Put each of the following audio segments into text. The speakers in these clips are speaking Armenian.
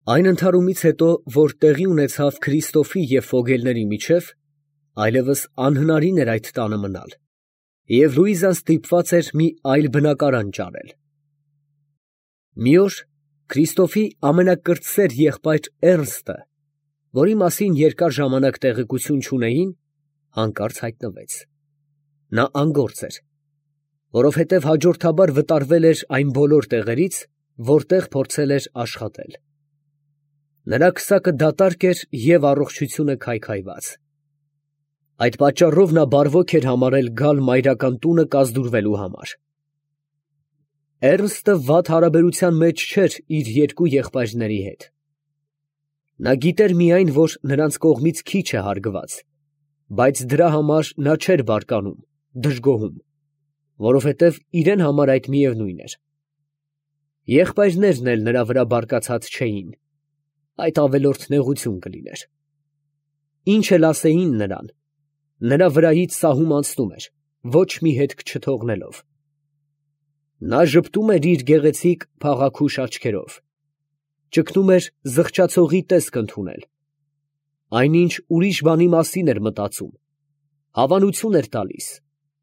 Այն ընդհարումից հետո, որ տեղի ունեցավ Քրիստոֆի և Ֆոգելների միջև, այլևս անհնարին էր այդ տանը մնալ, և Լուիզան ստիպված էր մի այլ բնակարան ճարել։ Մի օր Քրիստոֆի ամենակրտսեր եղբայր Էռնստը, որի մասին երկար ժամանակ տեղեկություն չունեին, հանկարծ հայտնվեց։ Նա անգործ էր, որովհետև հաջորդաբար վտարվել էր այն բոլոր տեղերից, որտեղ փորձել էր աշխատել։ Նրա քսակը դատարկ էր և առողջությունը քայքայված։ Այդ պատճառով նա բարվոք էր համարել գալ մայրական տունը կազդուրվելու համար։ Էռնստը վատ հարաբերության մեջ չէր իր երկու եղբայրների հետ։ Նա գիտեր միայն, որ նրանց կողմից քիչ է հարգված, բայց դրա համար նա չէր բարկանում, դժգոհում, որովհետև իրեն համար այդ միևնույն էր։ Եղբայրներն էլ նրա վրա բարկացած չէին, այդ ավելորդ նեղություն կլիներ։ Ինչ էլ ասեին նրան, նրա վրայից սահում անցնում էր, ոչ մի հետք չթողնելով։ Նա ժպտում էր իր գեղեցիկ փաղաքուշ աչքերով, ճգնում էր զղջացողի տեսք ընդունել, այնինչ ուրիշ բանի մասին էր մտածում, հավանություն էր տալիս,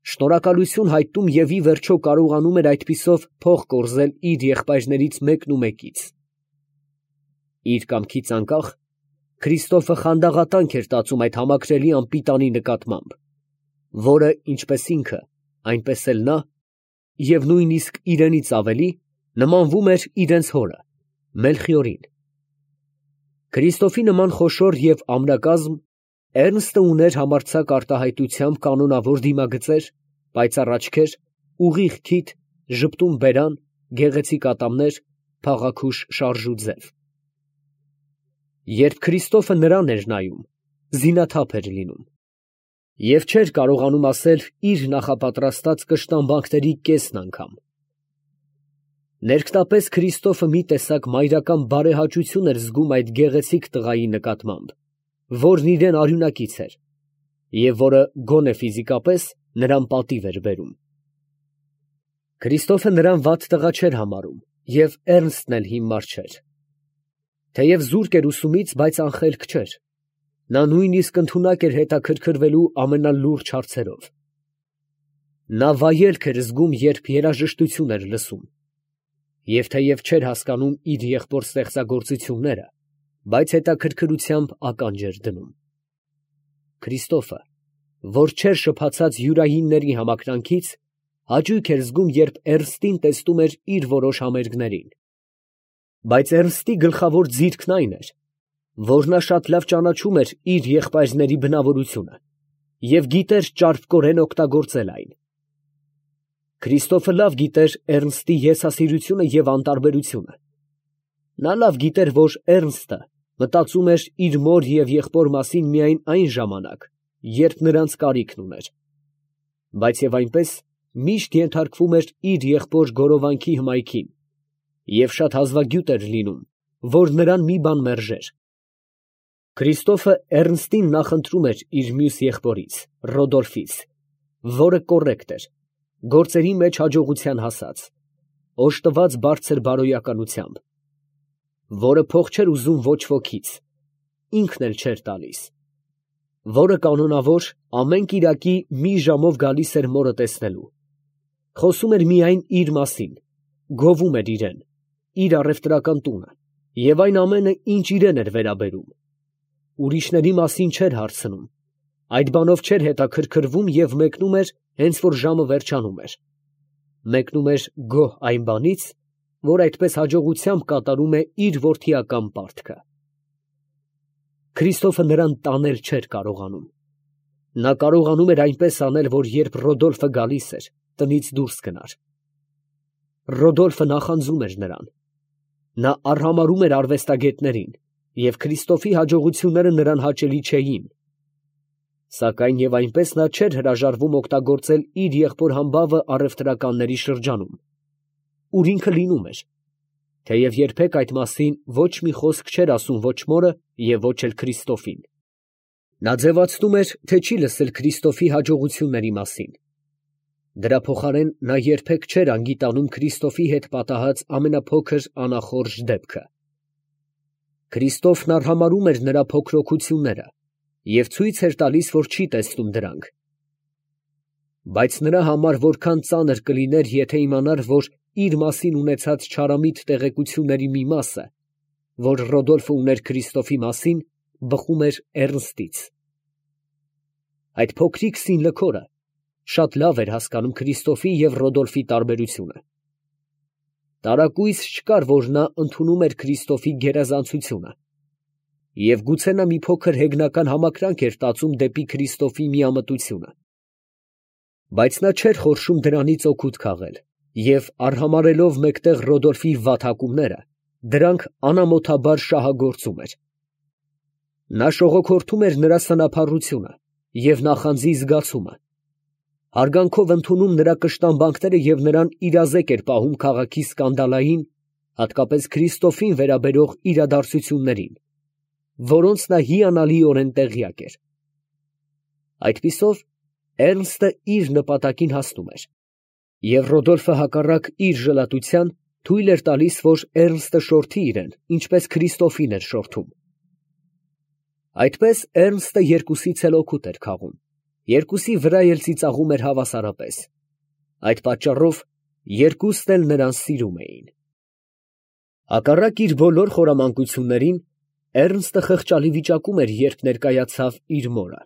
շնորհակալություն հայտնում և ի վերջո կարողանում էր այդպիսով փող կորզել իր եղբայրներից մեկն ու մեկից։ Իր կամքից անկախ Քրիստոֆը խանդաղատանք էր տածում այդ համակրելի անպիտանի նկատմամբ, որը ինչպես ինքը, այնպես էլ նա, և նույնիսկ իրենից ավելի, նմանվում էր իրենց հորը, Մելխիորին։ Քրիստոֆի նման խոշոր և ամրակազմ Էռնստը ուներ համարձակ արտահայտությամբ կանոնավոր դիմագծեր, պայծառ աչքեր, ուղիղ քիթ, ժպտուն բերան, գեղեցիկ ատամներ, փաղաքուշ շարժ ու ձև։ Երբ Քրիստոֆը նրան էր նայում, զինաթափ էր լինում և չէր կարողանում ասել իր նախապատրաստած կշտամբանքների կեսն անգամ։ Ներքտապես Քրիստոֆը մի տեսակ մայրական բարեհաճություն էր զգում այդ գեղեցիկ տղայի նկատմամբ, որն իրան արյունակից էր, և որը գոնե ֆիզիկապես նրան պատիվ էր բերում։ Քրիստոֆը նրան վատ տղա չէր համարում և Էռնստն էլ հիմար չէր։ Թեև զուրկ էր ուսումից, բայց անխելք չէր։ Նա նույնիսկ ընդունակ էր հետաքրքրվելու ամենալուրջ հարցերով։ Նա վայելք էր զգում, երբ երաժշտություն էր լսում, և թեև չէր հասկանում իր եղբոր ստեղծագործությունները, բայց հետաքրքրությամբ ականջ էր դնում։ Քրիստոֆը, որ չէր շփացած յուրայինների համակրանքից, հաճույք էր զգում, երբ Էռնստին տեսնում էր իր որոշ համերգներին։ Բայց Էռնստի գլխավոր ձիրքն այն էր, որ նա շատ լավ ճանաչում էր իր եղբայրների բնավորությունը և գիտեր ճարպկորեն օգտագործել այն։ Քրիստոֆը լավ գիտեր Էռնստի եսասիրությունը և անտարբերությունը։ Նա լավ գիտեր, որ Էռնստը մտածում էր իր մոր և եղբոր մասին միայն այն ժամանակ, երբ նրանց կարիքն ուներ, բայց և այնպես միշտ ենթարկվում էր իր եղբոր գորովանքի հմայքին և շատ հազվագյուտ էր լինում, որ նրան մի բան մերժեր։ Քրիստոֆը Էռնստին նախընտրում էր իր մյուս եղբորից՝ Ռոդոլֆից, որը կոռեկտ էր, գործերի մեջ հաջողության հասած, օժտված բարձր բարոյականությամբ, որը փող չէր ուզում ոչ ոքից, ինքն էլ չէր տալիս, որը կանոնավոր ամեն կիրակի մի ժամով գալիս էր մորը տեսնելու, խոսում էր միայն իր մասին, գովում էր իրան, իր առևտրական տունը և այն ամենը, ինչ իրան էր վերաբերում, ուրիշների մասին չէր հարցնում, այդ բանով չէր հետաքրքրվում և մեկնում էր, հենց որ ժամը վերջանում էր, մեկնում էր գոհ այն բանից, որ այդպես հաջողությամբ կատարում է իր որդիական պարտքը։ Քրիստոֆը նրան տանել չէր կարողանում։ Նա կարողանում էր այնպես անել, որ երբ Ռոդոլֆը գալիս էր, տնից դուրս գնար։ Ռոդոլֆը նախանձում էր նրան։ Նա արհամարհում էր արվեստագետներին, և Քրիստոֆի հաջողությունները նրան հաճելի չէին։ Սակայն և այնպես նա չէր հրաժարվում օգտագործել իր եղբոր համբավը առևտրականների շրջանում, ուր ինքը լինում էր, թեև երբեք այդ մասին ոչ մի խոսք չէր ասում ոչ մորը և ոչ էլ Քրիստոֆին։ Նա ձևացնում էր, թե չի լսել Քրիստոֆի հաջողությունների մասին։ Դրա փոխարեն նա երբեք չէր անգիտանում Քրիստոֆի հետ պատահած ամենափոքր անախորժ դեպքը։ Քրիստոֆն արհամարհում էր նրա փոքրոքությունները և ցույց էր տալիս, որ չի տեսնում դրանք։ Բայց նրա համար որքան ծանր կլիներ, եթե իմանար, որ իր մասին ունեցած չարամիտ տեղեկությունների մի մասը, որ Ռոդոլֆը ուներ Քրիստոֆի մասին, բխում էր Էռնստից։ Այդ փոքրիկ սինլքորը շատ լավ էր հասկանում Քրիստոֆի և Ռոդոլֆի տարբերությունը։ Տարակույս չկար, որ նա ընդունում էր Քրիստոֆի գերազանցությունը, և գուցե նա մի փոքր հեգնական համակրանք էր տածում դեպի Քրիստոֆի միամտությունը։ Բայց նա չէր խորշում դրանից օգուտ քաղել, և արհամարհելով մեկտեղ Ռոդոլֆի վատհակումները, դրանք անամոթաբար շահագործում էր։ Նա շողոքորթում էր նրա սնափառությունը և նախանձի զգացումը, հարգանքով ընդունում նրա կշտամբանքները և նրան իրազեկ էր պահում քաղաքի սկանդալային, հատկապես Քրիստոֆին վերաբերող իրադարձություններին, որոնց նա հիանալիորեն տեղյակ էր։ Այդպիսով Էռնստը իր նպատակին հասնում էր, և Ռոդոլֆը հակառակ իր ժլատության թույլ էր տալիս, որ Էռնստը շորթի իրեն, ինչպես Քրիստոֆին էր շորթում։ Այդպես Էռնստը երկուսից էլ օգուտ էր քաղում, երկուսի վրա էլ ծիծաղում էր հավասարապես։ Այդ պատճառով երկուսն էլ նրան սիրում էին։ Հակառակ իր բոլոր խորամանկություններին, Էռնստը խղճալի վիճակում էր, երբ ներկայացավ իր մորը։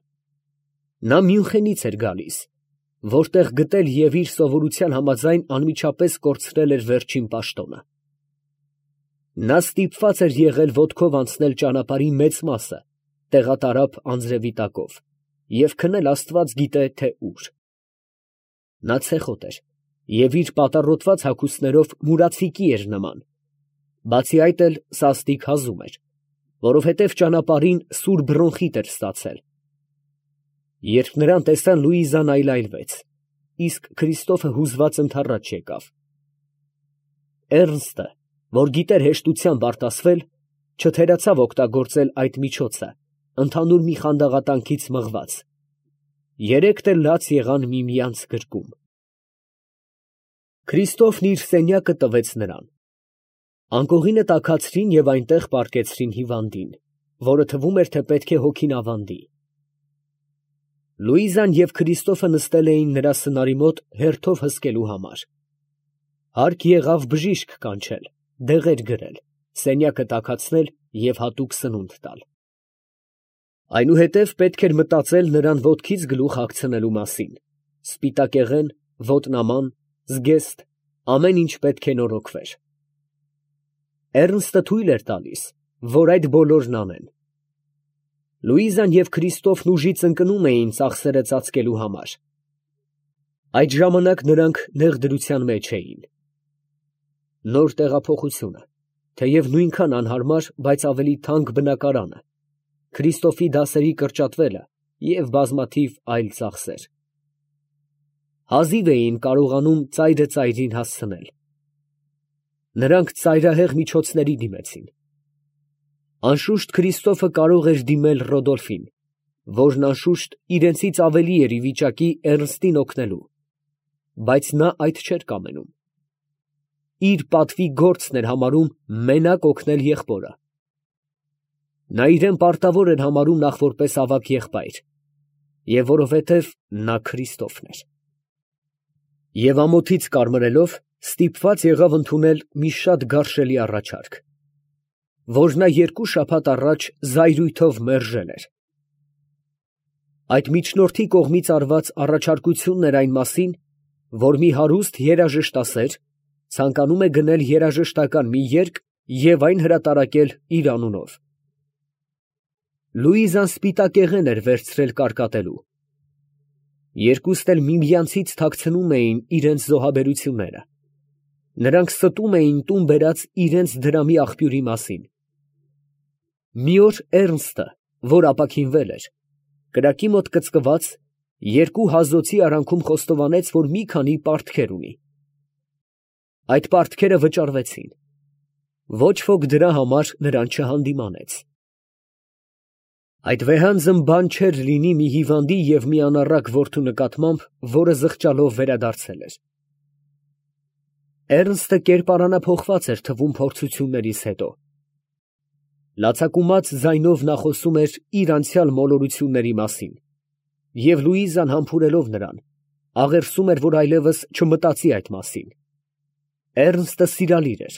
Նա Մյունխենից էր գալիս, որտեղ գտել և իր սովորության համաձայն անմիջապես կորցրել էր վերջին պաշտոնը։ Նա ստիպված էր եղել ոտքով անցնել ճանապարհի մեծ մասը տեղատարափ անձրևի տակով և քնել աստված գիտե թե ուր։ Նա ցեխոտ էր և իր պատառոտված հագուստներով մուրացիկի էր նման, բացի այդ էլ սաստիկ հազում էր, որովհետև ճանապարհին սուր բրոնխիտ էր ստացել։ Երբ նրան տեսան, Լուիզան այլայլվեց, իսկ Քրիստոֆը հուզված ընդառաջ եկավ։ Էռնստը, որ գիտեր հեշտությամբ արտասվել, չթերացավ օգտագործել այդ միջոցը, ընդհանուր մի խանդաղատանքից մղված։ Երեքն էլ լաց եղան միմյանց գրկում։ Քրիստոֆն իր սենյակը տվեց նրան։ Անկողինը տաքացրին և այնտեղ պառկեցրին հիվանդին, որը թվում էր, թե պետք է հոգին ավանդի։ Լուիզան և Քրիստոֆը նստել էին նրա սնարի մոտ հերթով հսկելու համար։ Հարկ եղավ բժիշկ կանչել, դեղեր գրել, սենյակը տաքացնել և հատուկ սնունդ տալ։ Այնուհետև պետք էր մտածել նրան ոտքից գլուխ հագցնելու մասին, սպիտակեղեն, ոտնաման, զգեստ, ամեն ինչ պետք է նորոգվեր։ Էռնստը թույլ էր տալիս, որ այդ բոլորն անեն։ Լուիզան և Քրիստոֆն ուժից ընկնում էին ծախսերը ծածկելու համար։ Այդ ժամանակ նրանք նեղ դրության մեջ էին։ Նոր տեղափոխությունը, թեև նույնքան անհարմար, բայց ավելի թանկ բնակարանը, Քրիստոֆի դասերի կրճատվելը և բազմաթիվ այլ ծախսեր։ Հազիվ էին կարողանում ծայրը ծայրին հասցնել։ Նրանք ծայրահեղ միջոցների դիմեցին։ Անշուշտ Քրիստոֆը կարող էր դիմել Ռոդոլֆին, որն անշուշտ իրենցից ավելի էր ի վիճակի Էռնստին օգնելու, բայց նա այդ չէր կամենում։ Իր պատվի գործն էր համարում մենակ օգնել եղբորը։ Նա իրեն պարտավոր էր համարում նախ որպես ավագ եղբայր, և որովհետև նա Քրիստոֆն էր։ Եվ ամոթից կարմրելով, ստիպված եղավ ընդունել մի շատ գարշելի առաջարկ, որ նա 2 շաբաթ առաջ զայրույթով մերժել էր։ Այդ միջնորդի կողմից արված առաջարկությունն էր այն մասին, որ մի հարուստ երաժշտասեր ցանկանում է գնել երաժշտական մի երգ և այն հրատարակել իր անունով։ Լուիզան սպիտակեղեն էր վերցրել կարկատելու։ Երկուսն էլ միմյանցից թաքցնում էին իրենց զոհաբերությունները։ Նրանք ստում էին տուն բերած իրենց դրամի աղբյուրի մասին։ Մի օր Էռնստը, որ ապաքինվել էր, կրակի մոտ կծկված, 2 հազոցի արանքում խոստովանեց, որ մի քանի պարտքեր ունի։ Այդ պարտքերը վճարվեցին։ Ոչ ոք դրա համար նրան չհանդիմանեց։ Այդ վեհանձն բան չէր լինի մի հիվանդի և մի անառակ որդու նկատմամբ, որը զղջալով վերադարձել էր։ Էռնստը կերպարանափոխված էր թվում փորձություններից հետո։ Լացակումած ձայնով նա խոսում էր իր անցյալ մոլորությունների մասին, և Լուիզան համբուրելով նրան, աղերսում էր, որ այլևս չմտածի այդ մասին։ Էռնստը սիրալիր էր.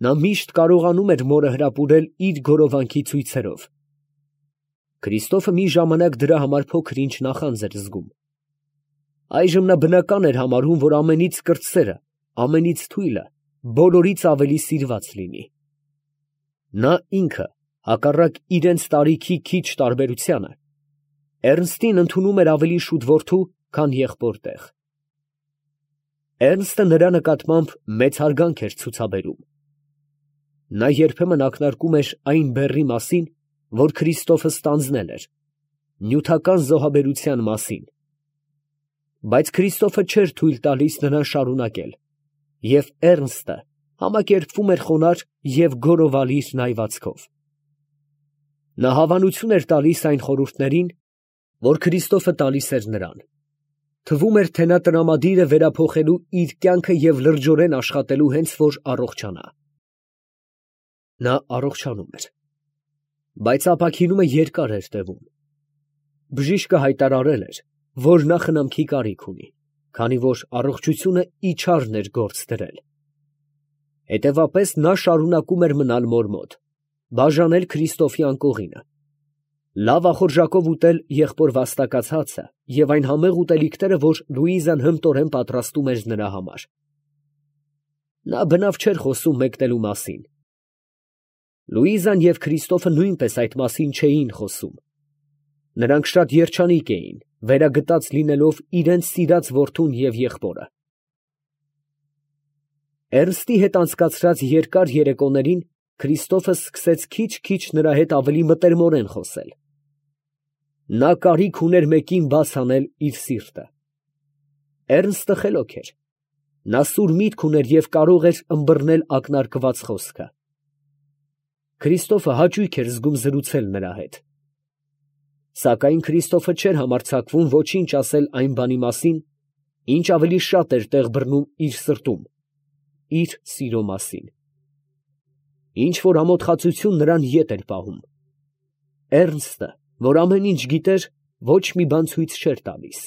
նա միշտ կարողանում էր մորը հրապուրել իր գորովանքի ցույցերով։ Քրիստոֆը մի ժամանակ դրա համար փոքր-ինչ նախանձ էր զգում։ Այժմ նա բնական էր համարում, որ ամենից կրտսերը, ամենից թույլը, բոլորից ավելի սիրված լինի։ Նա ինքը, հակառակ իրենց տարիքի քիչ տարբերությանը, Էռնստին ընդունում էր ավելի շուտ որդու, քան եղբոր տեղ։ Էռնստը նրա նկատմամբ մեծ հարգանք էր ցուցաբերում։ Նա երբեմն ակնարկում էր այն բեռի մասին, որ Քրիստոֆը ստանձնել էր, նյութական զոհաբերության մասին։ Բայց Քրիստոֆը չէր թույլ տալիս նրան շարունակել, և Էռնստը համակերպվում էր խոնարհ և գորովալիր նայվածքով։ Նա հավանություն էր տալիս այն խորհուրդներին, որ Քրիստոֆը տալիս էր նրան։ Թվում էր, թե նա տրամադիր է վերափոխելու իր կյանքը և լրջորեն աշխատելու հենց որ առողջանա։ Նա առողջանում էր, բայց ապաքինումը երկար էր տևում։ Բժիշկը հայտարարել էր, որ նա խնամքի կարիք ունի, քանի որ առողջությունը իջարն էր գործ դրել։ Հետևաբար նա շարունակում էր մնալ մոր մոտ, բաժանել Քրիստոֆի անկողինը, լավ ախորժակով ուտել եղբոր վաստակած հացը և այն համեղ ուտելիքները, որ Լուիզան հմտորեն պատրաստում էր նրա համար։ Նա բնավ չէր խոսում մեկնելու մասին։ Լուիզան և Քրիստոֆը նույնպես այդ մասին չէին խոսում։ Նրանք շատ երջանիկ էին, վերագտած լինելով իրենց սիրած որդուն և եղբորը։ Էռնստի հետ անցկացրած երկար երեկոներին Քրիստոֆը սկսեց քիչ֊քիչ նրա հետ ավելի մտերմորեն խոսել։ Նա կարիք ուներ մեկին բաց անել իր սիրտը։ Էռնստը խելոք էր։ Նա սուր միտք ուներ և կարող էր ըմբռնել ակնարկված խոսքը։ Քրիստոֆը հաճույք էր զգում զրուցել նրա հետ։ Սակայն Քրիստոֆը չէր համարձակվում ոչինչ ասել այն բանի մասին, ինչ ավելի շատ էր տեղ բռնում իր սրտում, իր սիրո մասին։ Ինչ որ ամոթխածություն նրան ետ էր պահում։ Էռնստը, որ ամեն ինչ գիտեր, ոչ մի բան ցույց չէր տալիս։